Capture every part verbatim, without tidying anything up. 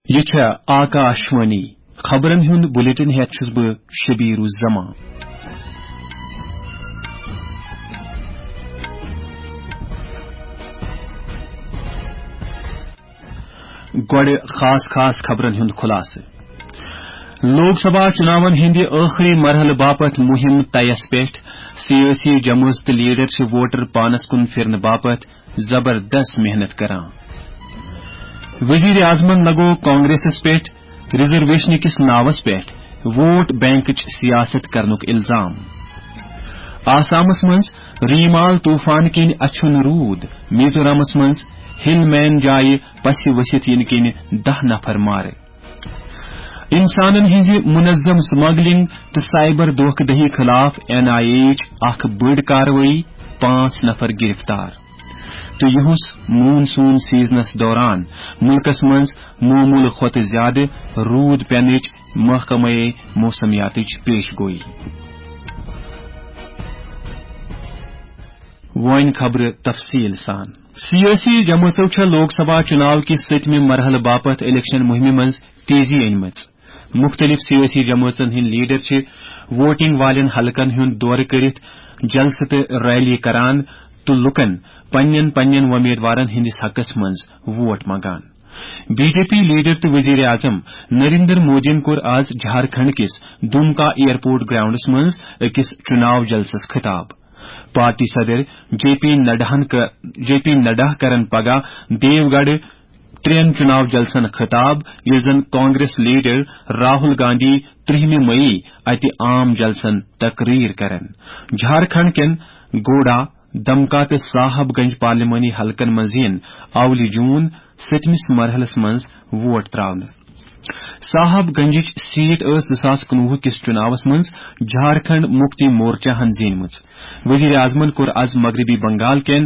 یہِ چھےٚ آکاشوانی۔ خبرن ہُنٛد بلیٹن ہٮ۪تھ چھُس بہٕ شبیر الزمان۔ گۄڈٕ خاص خاص خبرن ہُنٛد خلاصہٕ۔ لوک سبھا چُناون ہٕنٛدِ ٲخری مرحلہٕ باپتھ مُہِم طیَس پٮ۪ٹھ۔ سیٲسی جمٲژ تہٕ لیڈر چھِ ووٹر پانس کُن پھِرنہٕ باپتھ زبردست محنت کران۔ وزیر اعظمن لگوو کانگریسس پٮ۪ٹھ ریزرویشن کِس ناوس پٮ۪ٹھ ووٹ بینکٕچ سیاست کرنُک الزام۔ آسامس منٛز ریمال طوفان کِنۍ اچھُن روٗد، میزورامس منٛز ہل مین جایہِ پسہِ ؤسِتھ یِنہٕ کِنۍ دَہ نفر مارٕ۔ انسانن ہٕنٛزِ منظم سمگلنگ تہٕ سائبر دھوکہ دہی خلاف این آئی اے یٕچ اکھ بٔڑ کاروٲیی، پانٛژھ نفر گرفتار۔ تہٕ یُہُس مون سون سیزنس دوران مُلکس منٛز معموٗلہٕ کھۄتہٕ زیادٕ روٗد پینٕچ محکمہ موسمیاتٕچ پیش گویی۔ وۄنۍ خبرٕ تفصیل سان۔ سیٲسی جمٲژو چھےٚ لوک سبھا چُناو کِس سٔتمہِ مرحلہٕ باپتھ الیکشن مُہِمہِ منٛز تیزی أنمٕژ۔ مُختٔلِف سیٲسی جمٲژن ہٕنٛدۍ لیڈر چھِ ووٹنگ والٮ۪ن حلقن ہُنٛد دورٕ کٔرِتھ جلسہٕ تہٕ ریلی کران تہٕ لوٗکن پننٮ۪ن پننٮ۪ن وۄمیدوارن ہٕنٛدِس حقس منٛز ووٹ منٛگان۔ بی جے پی لیڈر تہٕ وزیر اعظم نریندر مودیَن کوٚر آز جھارکھنڈ کِس دومکا ایئرپورٹ گراؤنڈس منٛز أکِس چُناو جلسس خطاب۔ پارٹی صدر جے پی نڈاہن ک-، جے پی نڈا کرن پگاہ دیوگڑھ ترٛٮ۪ن چُناو جلسن خطاب، ییٚلہِ زن کانگریس لیڈر راہل گاندھی ترٛہمہِ مئی اتہِ عام جلسن تقریر کرن۔ جھارکھنڈ کٮ۪ن گوڈا، دمکا تہٕ صاحب گنج پارلیمانی حلقن منٛز یِن اولہِ جون سٔتمِس مرحلس منٛز ووٹ تراونہٕ۔ صاحب گنجٕچ سیٹ ٲس زٕ ساس کُنوُہ کِس چُناوس منٛز جھارکھنڈ مُکتی مورچہ ہن زیٖنمٕژ۔ وزیر اعظمن کوٚر از مغربی بنگال کٮ۪ن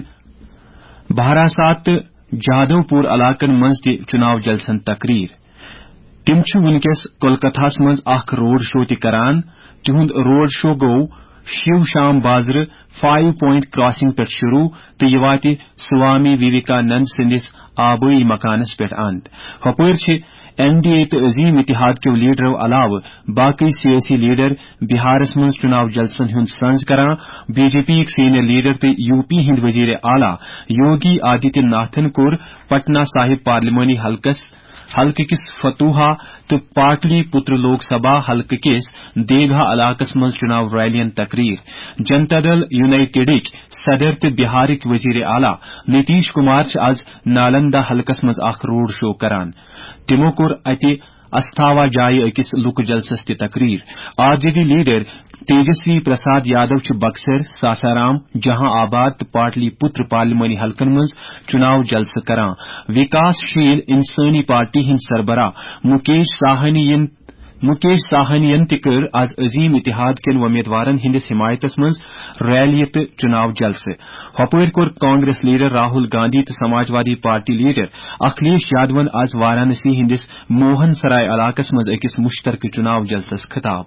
بہاراسات تہٕ جادو پور علاقن منٛز تہِ چُناو جلسن تقریر۔ تِم چھِ وُنکیٚس کولکتہس منٛز اکھ روڈ شو تہِ کران۔ تِہُنٛد روڈ شو گوٚو شیو شام بازرٕ فایو پوینٹ کراسنگ پٮ۪ٹھ شروع تہٕ یہِ واتہِ سوامی ویویکانند سٕنٛدِس آبٲیی مکانس پٮ۪ٹھ اند۔ ہۄپٲرۍ چھِ این ڈی اے تہٕ عظیم اتحاد کیو لیڈرو علاوٕ باقٕے سیٲسی لیڈر بہارس منٛز چُناو جلسن ہُنٛد سنز کران۔ بی جے پی یِکۍ سینئر لیڈر تہٕ یو پی ہٕنٛدۍ وزیر اعلیٰ یوگی آدتیہ ناتھن کوٚر پٹنہ صاحب پارلیمانی حلقس، حلقہٕ کِس فتوحا تہٕ پاٹلی پتر لوک سبھا حلقہٕ کِس دیگھا علاقس منٛز چُناو ریلین تقریر۔ جنتا دل یونائیٹڈٕکۍ صدر تہٕ بہارٕکۍ وزیر اعلیٰ نتیش کمار چھِ از نالندہ حلقس منٛز اکھ روڈ شو کران۔ تِمو کوٚر اتہِ استھاوا جایہِ أکِس لُکہٕ جلسس تہِ تقریر۔ R J D leader Tejashwi Prasad Yadav چھِ بکسر، ساسارام، جہاں آباد تہٕ پاٹلی پتر پارلیمانی حلقن منٛز چُناو جلسہٕ کران۔ وکاس شیل انسٲنی پارٹی ہٕنٛدۍ سربراہ مُکیش ساہنی ین، مُکیش ساہنی ین تہِ کٔر از عظیم اتحاد کٮ۪ن وۄمیدوارن ہٕنٛدِس حمایتس منٛز ریلی تہٕ چُناو جلسہٕ۔ ہۄپٲرۍ کوٚر کانگریس لیڈر راہل گاندھی تہٕ سماجوادی پارٹی لیڈر اکھلیش یادون از وارانسی ہٕنٛدِس موہن سرائے علاقس منٛز أکِس مُشترکہٕ چُناو جلسس خطاب۔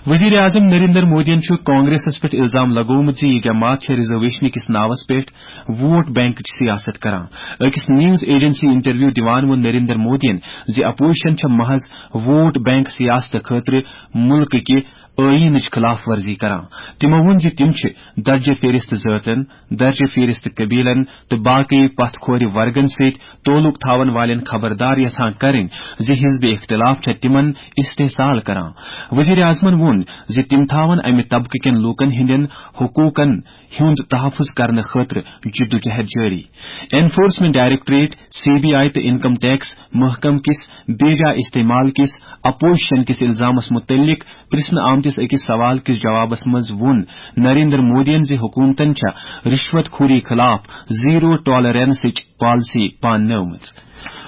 وزیر اعظم نریندر مودیَن چھُ کانگریسس پٮ۪ٹھ الزام لگوومُت زِ یہِ جماعت چھےٚ ریزرویشن کِس ناوس پٮ۪ٹھ ووٹ بینکٕچ سیاست کران۔ أکِس نیوز ایجنسی انٹرویو دِوان ووٚن نریندر مودیَن زِ اپوزیشن چھےٚ محض ووٹ بینک سیاست خٲطرٕ مُلکہٕ کہِ ٲییٖنٕچ خلاف ورزی کران۔ تِمو ووٚن زِ تِم چھِ درجہ فہرست ذٲژن، درجہ فہرست قبیلن تہٕ باقی پتھ کھورِ ورگن سۭتۍ تعلق تھاون والٮ۪ن خبردار یژھان کرٕنۍ زِ حزب اختلاف چھےٚ تِمن استحصال کران۔ وزیر اعظمن ووٚن زِ تِم تھاون امہِ طبقہٕ کٮ۪ن لوٗکن ہٕنٛدٮ۪ن حقوٗقن ہُنٛد تحفظ کرنہٕ خٲطرٕ جدوجہد جٲری۔ Enforcement directorate, C B I تہٕ انکم ٹیکس محکمہٕ کِس بیجا استعمال کِس اپوزیشن کِس الزامس مُتعلق پرژھنہٕ آمتِس أکِس سوال کِس جوابس منٛز ووٚن نریندر مودیَن زِ حکوٗمتن چھےٚ رشوت خوری خلاف زیرو ٹالرنسٕچ پالیسی پاننٲومٕژ۔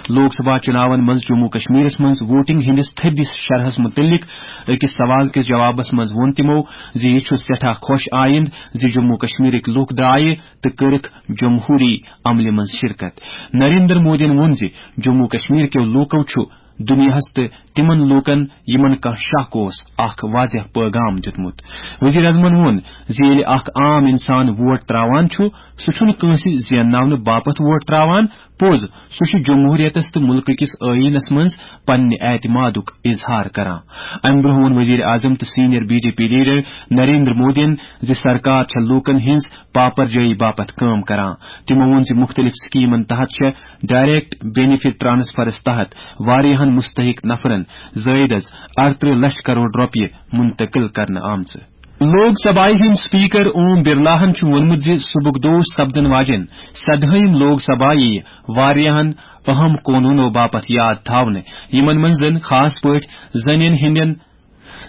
لوک سبھا چُناون منٛز جموں کشمیرس منٛز ووٹنگ ہٕنٛدِس تھٔدِس شرحس مُتعلق أکِس سوال کِس جوابس منٛز ووٚن تِمو زِ یہِ چھُ سٮ۪ٹھاہ خۄش آیند زِ جموں کشمیرٕکۍ لوٗکھ درٛایہِ تہٕ کٔرٕکھ جمہوری عملہِ منٛز شرکت۔ نریندر مودیَن ووٚن زِ جموں کشمیر کیو لوٗکو چھُ دُنیاہَس تہٕ تِمن لوٗکن، یِمن کانٛہہ شک اوس، اکھ واضح پیغام دیُتمُت۔ وزیر اعظمن ووٚن زِ ییٚلہِ اکھ عام انسان ووٹ تراوان چھُ، سُہ چھُنہٕ کٲنٛسہِ زینناونہٕ باپتھ ووٹ تراوان۔ پوٚز، سُہ چھُ جمہوریتس تہٕ مُلکہٕ کِس ٲییٖنس منٛز پننہِ اعتمادُک اظہار کران۔ امہِ برٛونٛہہ ووٚن وزیر اعظم تہٕ senior B J P leader Narendra مودیَن زِ سرکار چھےٚ لوٗکن ہٕنٛز پاپرجٲیی باپتھ کٲم کران۔ تِمو ووٚن زِ مُختٔلِف سکیمن تحت چھےٚ ڈائریکٹ بینیفٹ ٹرانسفرس تحت واریاہن مستحق نفرن زٲیدس اَرترٕہ لچھ کرور رۄپیہِ منتقل کرنہٕ آمژٕ۔ لوک سبھایہ ہٕنٛدۍ سپیکر اوم برلاہن چھُ ووٚنمُت زِ صبحُک دۄہ سپدن واجٮ۪ن سدہٲیِم لوک سبھا یِیہِ واریاہن اہم قونوٗنو باپتھ یاد تھاونہٕ، یِمن منٛز زن خاص پٲٹھۍ زنٮ۪ن ہٕنٛدٮ۪ن،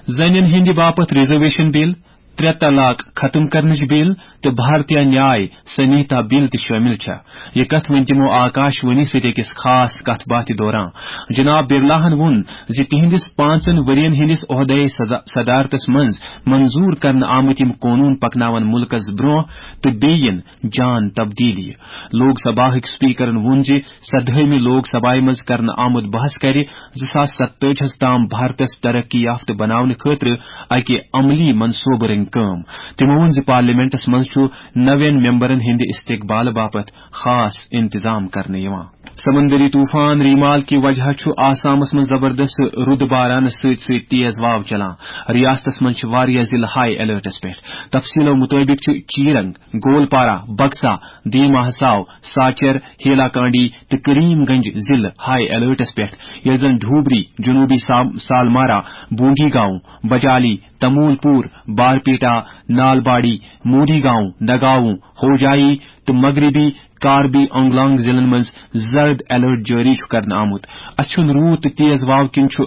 زنٮ۪ن ہٕنٛدِ باپتھ ریزرویشن بل، ترٛےٚ طلاق ختم کرنٕچ بل تہٕ بھارتیہ نیاے سنہیتا بل تہِ شٲمِل چھےٚ۔ یہِ کتھ ؤنۍ تِمو آکاش وانی سۭتۍ أکِس خاص کتھ باتھِ دوران۔ جناب برلاہن ووٚن زِ تِہنٛدِس پانٛژن ؤرین ہٕنٛدِس عہدے صدا-، صدارتس منٛز منظور کرنہٕ آمٕتۍ یِم قونوٗن پکناون مُلکس برٛونٛہہ تہٕ بیٚیہِ یِن جان تبدیلی۔ لوک سبھا ہٕکۍ سپیکرن ووٚن زِ سدہٲیمہِ لوک سبھایہ منٛز کرنہٕ آمُت بحث کرِ زٕ ساس ستٲجی ہس تام بھارتس ترقی یافتہٕ بناونہٕ خٲطرٕ اکہِ عملی منصوبہٕ رنگۍ کٲم۔ تِمو ووٚن زِ پارلیمنٹس منٛز چھُ نوین ممبرن ہٕنٛدِ استقبال باپتھ خاص انتظام کرنہٕ یِوان۔ سمندری طوفان ریمال کہِ وجہ چھُ آسامس منٛز زبردست رُدٕ بارانس سۭتۍ سۭتۍ تیز واو چلان۔ ریاستس منٛز چھِ واریاہ ضلعہٕ ہائی الرٹس پٮ۪ٹھ۔ تفصیلو مُطٲبِق چھِ چیرنگ، گولپارہ، بکسا، دیما حساو، ساچر، ہیلا کانڈی تہٕ کریم گنج ضلعہٕ ہائی الرٹس پٮ۪ٹھ، ییٚلہِ زن ڈھوبری، جنوبی سام-، سالمارا، بونگی گاؤں، بجالی، تمول پور، بارپیٹا، نالباڑی، موری گاؤں، نگاؤں، ہوجائی تہٕ مغربی کاربی آنگلانگ ضلعن منٛز زرد الرٹ جٲری چھُ کرنہٕ آمُت۔ اچھن روٗد تہٕ تیز واو کِنۍ چھُ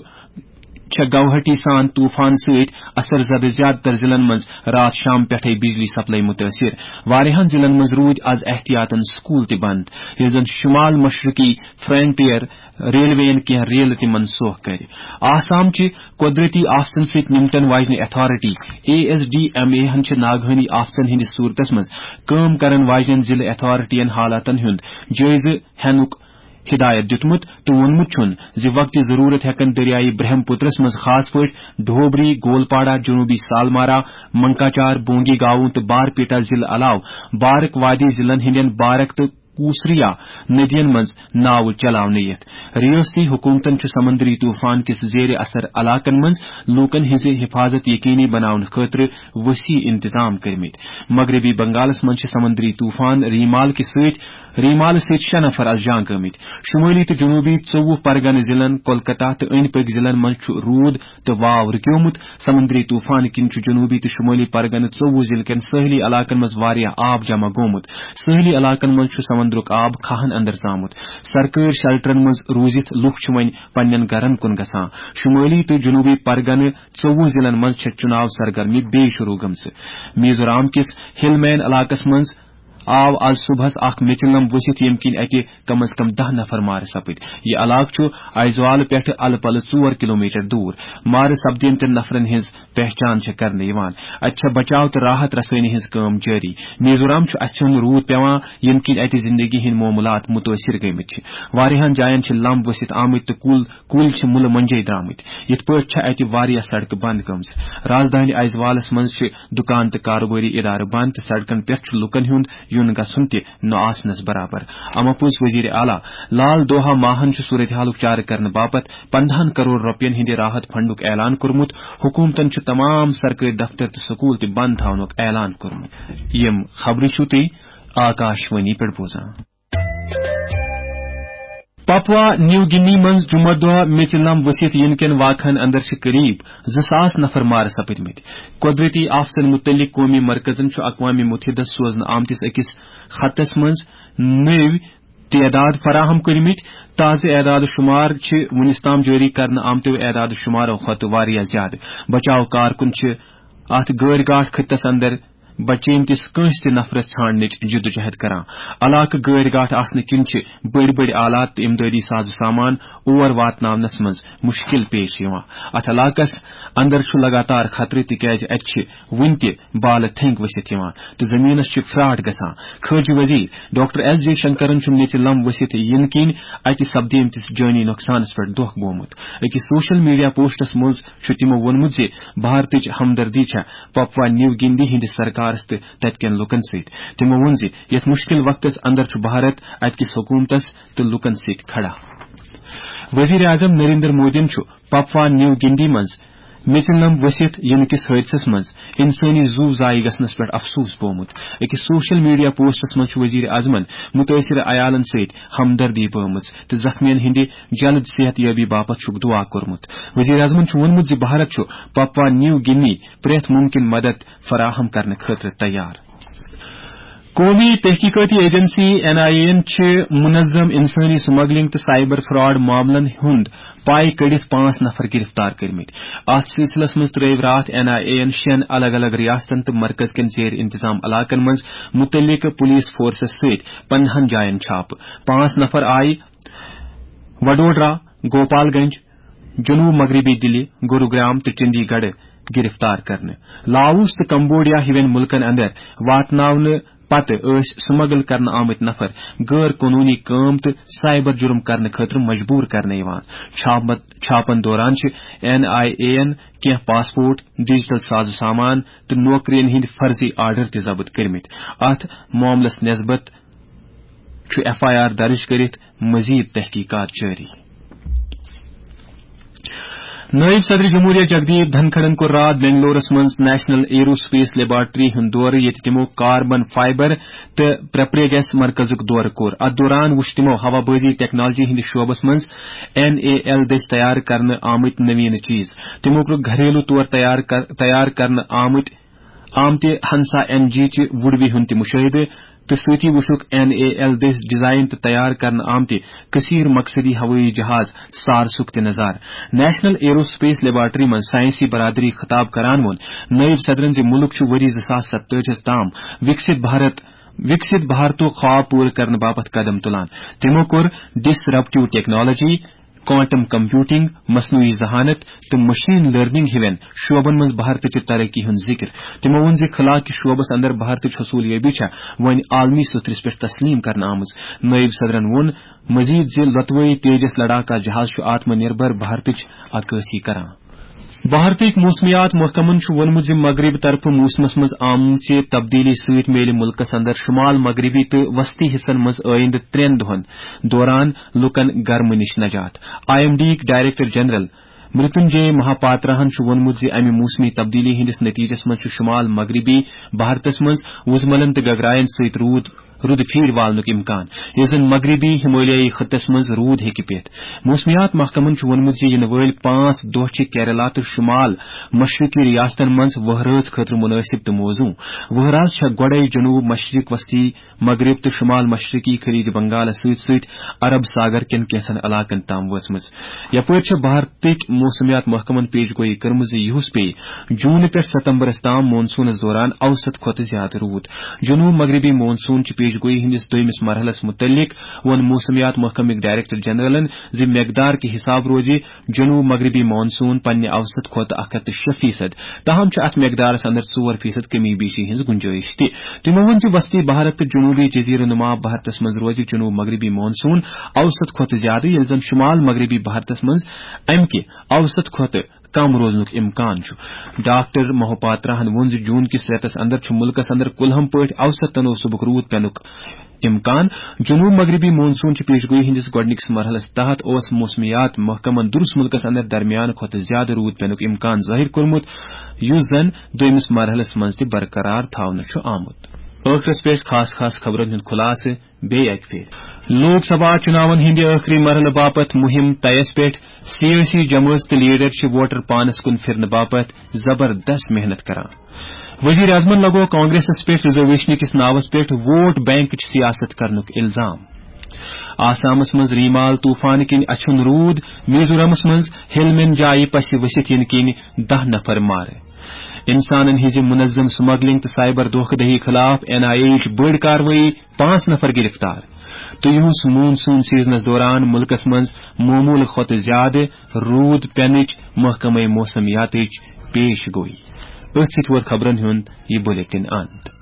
چھےٚ گوہاٹی سان طوفان سۭتۍ اثر زدٕ زیادٕ تر ضلعن منٛز راتھ شام پٮ۪ٹھے بجلی سپلائی مُتٲثِر۔ واریاہن ضلعن منٛز روٗدۍ از احتیاطن سکول تہِ بند، ییٚلہِ زن شمال مشرقی فرنٹیئر ریلوے یَن کینٛہہ ریلہٕ تہِ منسوخ کٔرِ۔ آسام چہِ قۄدرٔتی آفتن سۭتۍ نمٹن واجنہِ authority, A S D M A ہن چھِ ناگہٲنی آفتن ہٕنٛدِس صوٗرتس منٛز کٲم کرن واجنٮ۪ن ضلعہٕ اتھارٹی یَن حالاتن ہُنٛد جٲیزٕ ہینُک ہدایت دیُتمُت تہٕ ووٚنمُت چھُن زِ وقتِ ضروٗرت ہٮ۪کن دٔریایہِ برہم پُترس منٛز خاص پٲٹھۍ ڈھوبری، گولپاڑہ، جنوبی سالمارا، منکاچار، بونگی گاؤں تہٕ بارپیٹا ضلعہٕ علاوٕ بارک وادی ضلعن ہٕنٛدٮ۪ن بارک تہٕ کوسریا ندین منٛز ناوٕ چلاونہٕ یِتھ۔ ریاستی حکومتن چھُ سمندری طوفان کِس زیر اثر علاقن منٛز لوٗکن ہٕنٛزِ حفاظت یقینی بناونہٕ خٲطرٕ وسیع انتظام کٔرمٕتۍ۔ مغربی بنگالس منٛز چھِ سمندری طوفان ریمال کہِ سۭتۍ ریمالہٕ سۭتۍ شےٚ نفر از جان گٲمٕتۍ۔ شمٲلی تہٕ جنوبی ژوٚوُہ پرگنہٕ ضلعن، کولکتہ تہٕ أنٛدۍ پٔکۍ ضلعن منٛز چھُ روٗد تہٕ واو رُکیومُت۔ سمندری طوفان کِنۍ چھُ جنوبی تہٕ شمٲلی پرگنہٕ ژوٚوُہ ضلعہٕ کٮ۪ن سٲحلی علاقن منٛز واریاہ آب جمع گوٚمُت۔ سٲحلی علاقن منٛز چھُ سمندرُک آب کھاہن اندر ژامُت۔ سرکٲرۍ شیلٹرن منٛز روٗزِتھ لُکھ چھِ وۄنۍ پننٮ۪ن گرن کُن گژھان۔ شمٲلی تہٕ جنوبی پرگنہٕ ژوٚوُہ ضلعن منٛز چھےٚ چُناو سرگرمی بیٚیہِ شروع گٔمژٕ۔ میزورام کِس ہل مین علاقس منٛز آو آز صبحس اکھ میچلم ؤسِتھ، ییٚمہِ کِنۍ اتہِ کم از کم دَہ نفر مارٕ سپٕدۍ۔ یہِ علاقہٕ چھُ ایزوال پٮ۪ٹھٕ الہٕ پلہٕ ژور کلومیٹر دوٗر۔ مارٕ سپدیمتٮ۪ن نفرن ہٕنٛز پہچان چھےٚ کرنہٕ یِوان۔ اتہِ چھےٚ بچاو تہٕ راحت رسٲنی ہٕنٛز کٲم جٲری۔ میزورام چھُ اَژھِ ہُنٛد روٗد پٮ۪وان، ییٚمہِ کِنۍ اتہِ زندگی ہٕنٛدۍ معاملات مُتٲثر گٔمٕتۍ چھِ۔ واریاہن جاین چھِ لمب ؤسِتھ آمٕتۍ تہٕ کُل، کُلۍ چھِ مُلہٕ مۄنجے درٛامٕتۍ۔ یِتھ پٲٹھۍ چھےٚ اتہِ واریاہ سڑکہٕ بند گٔمژٕ۔ رازدٲنۍ ایزوالس منٛز چھِ دُکان تہٕ کاروبٲری ادارٕ بند تہٕ سڑکن پٮ۪ٹھ چھُ لُکن ہُنٛد یُن گژھُن تہِ نہٕ آسنس برابر۔ اما پوٚز وزیر اعلیٰ لال دوہا ماہن چھُ صورتحالُک چارٕ کرنہٕ باپتھ پندہن کرور رۄپین ہٕنٛدِ راحت فنڈُک اعلان کوٚرمُت۔ حکومتن چھُ تمام سرکٲرۍ دفتر تہٕ سکول تہِ بند تھاونُک اعلان کوٚرمُت۔ یِم خبرٕ چھِو تُہۍ آکاش وانی پٮ۪ٹھ بوزان۔ پپوا نیو گِنی منٛز جمعہ دۄہ میٚژِ لم ؤسِتھ یِنہٕ کٮ۪ن واقعن اندر چھِ قریب زٕ ساس نفر مارٕ سپٕدمٕتۍ۔ قۄدرٔتی آفتن مُتعلق قومی مرکزن چھُ اقوام متحدس سوزنہٕ آمتِس أکِس خطس منٛز نٔوۍ تعداد فراہم کٔرمٕتۍ۔ تازٕ اعداد و شمار چھِ وُنِس تام جٲری کرنہٕ آمتیو اعداد و شمارو کھۄتہٕ واریاہ زیادٕ۔ بچاو کارکُن چھِ اتھ گٲڑۍ گاٹھ خطس اندر بچیمتِس کٲنٛسہِ تہِ نفرس ژھانڈنٕچ جدوجہد کران۔ علاقہٕ گٲڑۍ گاٹھ آسنہٕ کِنۍ چھِ بٔڑۍ بٔڑۍ آلات تہٕ امدادی ساز و سامان اور واتناونس منٛز مشکل پیش یِوان۔ اتھ علاقس اندر چھُ لگاتار خطرٕ، تِکیازِ اتہِ چھِ وُنہِ تہِ بالہٕ تھنٛگۍ ؤسِتھ یِوان تہٕ زٔمیٖنَس چھِ فراٹ گژھان۔ خارجہ وزیر ڈاکٹر ایس جے شنکرَن چھُ میٚژِ لم ؤسِتھ یِنہٕ کِنۍ اَتہِ سپدیمتِس جٲنی نۄقصانَس پٮ۪ٹھ دۄکھ گوٚومُت۔ أکِس سوشل میڈیا پوسٹَس منٛز چھُ تِمو ووٚنمُت زِ بھارتٕچ ہمدردی چھےٚ پپوا نیو گِنڈی ہٕنٛدِس سرکارَس تہٕ تَتہِ کٮ۪ن لوٗکَن سۭتۍ۔ تِمو ووٚن زِ یَتھ مُشکِل وقتَس اندر چھُ بھارت اَتہِ کِس حکوٗمتَس تہٕ لوٗکَن سۭتۍ کھڑا۔ وزیر اعظم نریندر مودیَن چھُ پپوا نیو گنڈی منٛز میٚژِ لم ؤسِتھ یِنہٕ کِس حٲدثس منٛز انسٲنی زُو ضایع گژھنس پٮ۪ٹھ افسوس بوومُت۔ أکِس سوشل میڈیا پوسٹس منٛز چھُ وزیر اعظمن مُتٲثرٕ عیالن سۭتۍ ہمدردی بٲومٕژ تہٕ زخمیَن ہٕنٛدِ جلد صحت یابی باپتھ چھُکھ دُعا کوٚرمُت۔ وزیر اعظمن چھُ ووٚنمُت زِ بھارت چھُ پپوا نیو گِنی پرٛٮ۪تھ مُمکِن مدد فراہم کرنہٕ خٲطرٕ تیار۔ قومی تحقیقاتی ایجنسی این آئی اے یَن چھِ منظم انسٲنی سمگلنگ تہٕ سائبر فراڈ معاملن ہُنٛد پاے کٔڑِتھ پانٛژھ نفر گرفتار کٔرمٕتۍ۔ اتھ سلسلس منٛز ترٲوۍ راتھ این آئی اے یَن شٮ۪ن الگ الگ ریاستن تہٕ مرکز کٮ۪ن زیر انتظام علاقن منٛز متعلقہٕ پولیس فورسس سۭتۍ پندہن جاین چھاپہٕ۔ پانٛژھ نفر آیہِ وڈودرا، گوپال گنج، جنوب مغربی دلی، گروگرام تہٕ چندی گڑھ گرفتار کرنہٕ۔ لاوس تہٕ کمبوڈیا ہِوٮ۪ن مُلکن اندر واتناونہٕ پتہٕ ٲسۍ سمگل کرنہٕ آمٕتۍ نفر غٲر قونوٗنی کٲم تہٕ سائبر جرم کرنہٕ خٲطرٕ مجبور کرنہٕ یِوان۔ چھاپمت-، چھاپن دوران چھِ این آئی اے یَن کینٛہہ پاسپورٹ، ڈیجیٹل ساز و سامان تہٕ نوکرین ہٕنٛدۍ فرضی آرڈر تہِ ضبط کٔرمٕتۍ۔ اتھ معاملس نسبت چھُ ایف آئی آر درج کٔرِتھ مزید تحقیقات جٲری۔ نٲیِب صدر جمہوریہ جگدیپ دھنکھڑَن کوٚر راتھ بنگلورس منٛز نیشنل ایرو سپیس لیبارٹری ہُنٛد دورٕ، ییٚتہِ تِمو کاربن فائبر تہٕ پرپریگیس مرکزُک دورٕ کوٚر۔ اتھ دوران وُچھ تِمو ہوابازی ٹیکنالوجی ہٕنٛدِس شعبس منٛز این اے ایل دٔسۍ تیار کرنہٕ آمٕتۍ نویٖنہٕ چیز۔ تِمو کوٚر گھریلو طور تیار کر-، تیار کرنہٕ آمٕتۍ آمتہِ ہنسا این جی چہِ وُڈوِ ہُنٛد تہِ مُشٲہدٕ تہٕ سۭتی وُچھُکھ این اے ایل دٔسۍ ڈیزائن تہٕ تیار کرنہٕ آمتہِ کثیر مقصدی ہوٲیی جہاز سارسُک تہِ نظارٕ۔ نیشنل ایرو سپیس لیبارٹری منٛز سائنسی برادری خطاب کران ووٚن نٲیِب صدرن زِ مُلک چھُ ؤری زٕ ساس ستٲجی ہَس تام وِکسِت بھارت، وِکسِت بھارتُک خواب پوٗرٕ کرنہٕ باپتھ قدم تُلان۔ تِمو کوٚر ڈسرپٹیو ٹیکنالوجی، کوانٹم کمپیوٹنگ، مصنوعی ذہانت تہٕ مشین لرننگ ہِوٮ۪ن شعبن منٛز بھارتٕچہِ ترقی ہُنٛد ذِکر۔ تِمو ووٚن زِ خلا کِس شعبس اندر بھارتٕچ حصولیابی چھےٚ وۄنۍ عالمی سترس پٮ۪ٹھ تسلیم کرنہٕ آمٕژ۔ نٲیِب صدرن ووٚن مزید زِ لۄتوٲیی تیجس لڑاکا جہاز چھُ آتم نربھر بھارتٕچ عکٲسی کران۔ بھارتٕکۍ موسمیات محکمن چھُ ووٚنمُت زِ مغرب طرفہٕ موسمس منٛز آمژِ تبدیلی سۭتۍ میلہِ مُلکس اندر شمال مغربی تہٕ وسطی حصن منٛز آیندٕ ترٛٮ۪ن دۄہن دوران لوٗکن گرمہٕ نِش نجات۔ آئی ایم ڈی یِکۍ ڈائریکٹر جنرل مرتنجے مہاپاتراہن چھُ ووٚنمُت زِ امہِ موسمی تبدیلی ہٕنٛدِس نتیجس منٛز چھُ شمال مغربی بھارتس منٛز وُزملن تہٕ گگراین سۭتۍ روٗد رُدٕ پھیٖرۍ والنُک امکان، یُس زن مغربی ہمالیائی خطس منٛز روٗد ہیٚکہِ پٮ۪تھ۔ موسمیات محکمن چھُ ووٚنمُت زِ یِنہٕ وٲلۍ پانٛژھ دۄہ چھِ کیرلا تہٕ شمال مشرقی ریاستن منٛز وہرٲژ خٲطرٕ مناسب تہٕ موزوں۔ وہرٲژ چھےٚ گۄڈے جنوب مشرق وسطی مغرب تہٕ شمال مشرقی خلیج بنگالس سۭتۍ سۭتۍ عرب ساگر کٮ۪ن کینٛژن علاقن تام وٲژمٕژ۔ یپٲرۍ چھےٚ بھارتٕکۍ موسمیات محکمن پیش گویی کٔرمٕژ زِ یُہُس پیٚیہِ جوٗن پٮ۪ٹھ ستمبرس تام مون سونس دوران اوسط کھۄتہٕ زیادٕ روٗد۔ جنوب مغربی مون سون چہِ پیش گویی ہٕنٛدِس دوٚیمِس مرحلس مُتعلق ووٚن موسمیات محکمٕکۍ ڈائریکٹر جنرلن زِ مقدار کہِ حساب روزِ جنوب مغربی مون سون پننہِ اوسط کھۄتہٕ اکھ ہتھ تہٕ شےٚ فیصد، تاہم چھِ اتھ مقدارس اندر ژور فیصد کمی بیشی ہٕنٛز گنجائش تہِ۔ تِمو ووٚن زِ وسطی بھارت تہٕ جنوبی جزیرٕ نما بھارتس منٛز روزِ جنوب مغربی مون سون اوسط کھۄتہٕ زیادٕ، ییٚلہِ زن شمال مغربی بھارتس منٛز امہِ کہِ اوسط کھۄتہٕ کم روزنُک امکان چھُ۔ ڈاکٹر مہوپاتراہن ووٚن زِ جون کِس رٮ۪تس اندر چھُ مُلکس اندر کُلہم پٲٹھۍ اوسط تناسبُک روٗد پینُک امکان۔ جنوب مغربی مون سون چہِ پیش گویی ہٕنٛدِس گۄڈٕنِکِس مرحلس تحت اوس موسمیات محکمن درس مُلکس اندر درمیان کھۄتہٕ زیادٕ روٗد پینُک امکان ظٲہِر کوٚرمُت، یُس زن دوٚیمِس مرحلس منٛز تہِ برقرار تھاونہٕ چھُ آمُت۔ ٲخرس پٮ۪ٹھ خاص خاص خبرن ہُنٛد خُلاصہٕ۔ بیٚیہِ اکہِ پھِرِ۔ لوک سبھا چُناون ہٕنٛدِ ٲخری مرحلہٕ باپتھ مُہِم طیَس پٮ۪ٹھ۔ سیٲسی جمٲژ تہٕ لیڈر چھِ ووٹر پانس کُن پھِرنہٕ باپتھ زبردست محنت کران۔ وزیر اعظمن لگوو کانگریسس پٮ۪ٹھ ریزرویشن کِس ناوس پٮ۪ٹھ ووٹ بینکٕچ سیاست کرنُک الزام۔ آسامس منٛز ریمال طوفان کِنۍ اچھُن روٗد، میزورامس منٛز ہیلمین جایہِ پسہِ ؤسِتھ یِنہٕ کِنۍ دَہ نفر مارٕ۔ انسانن ہٕنٛزِ منظم سمگلنگ تہٕ سائبر دھوکہ دہی خلاف این آئی اے یٕچ بٔڑ کاروٲیی، پانٛژھ نفر گرفتار۔ تہٕ یُہُس مون سون سیزنس دوران ملکس منٛز معمول کھۄتہٕ زیادٕ روٗد پینٕچ محکمہ موسمیاتٕچ پیش گوئی۔ أتھۍ سۭتۍ ووت خبرن ہُنٛد یہِ بلیٹن اند۔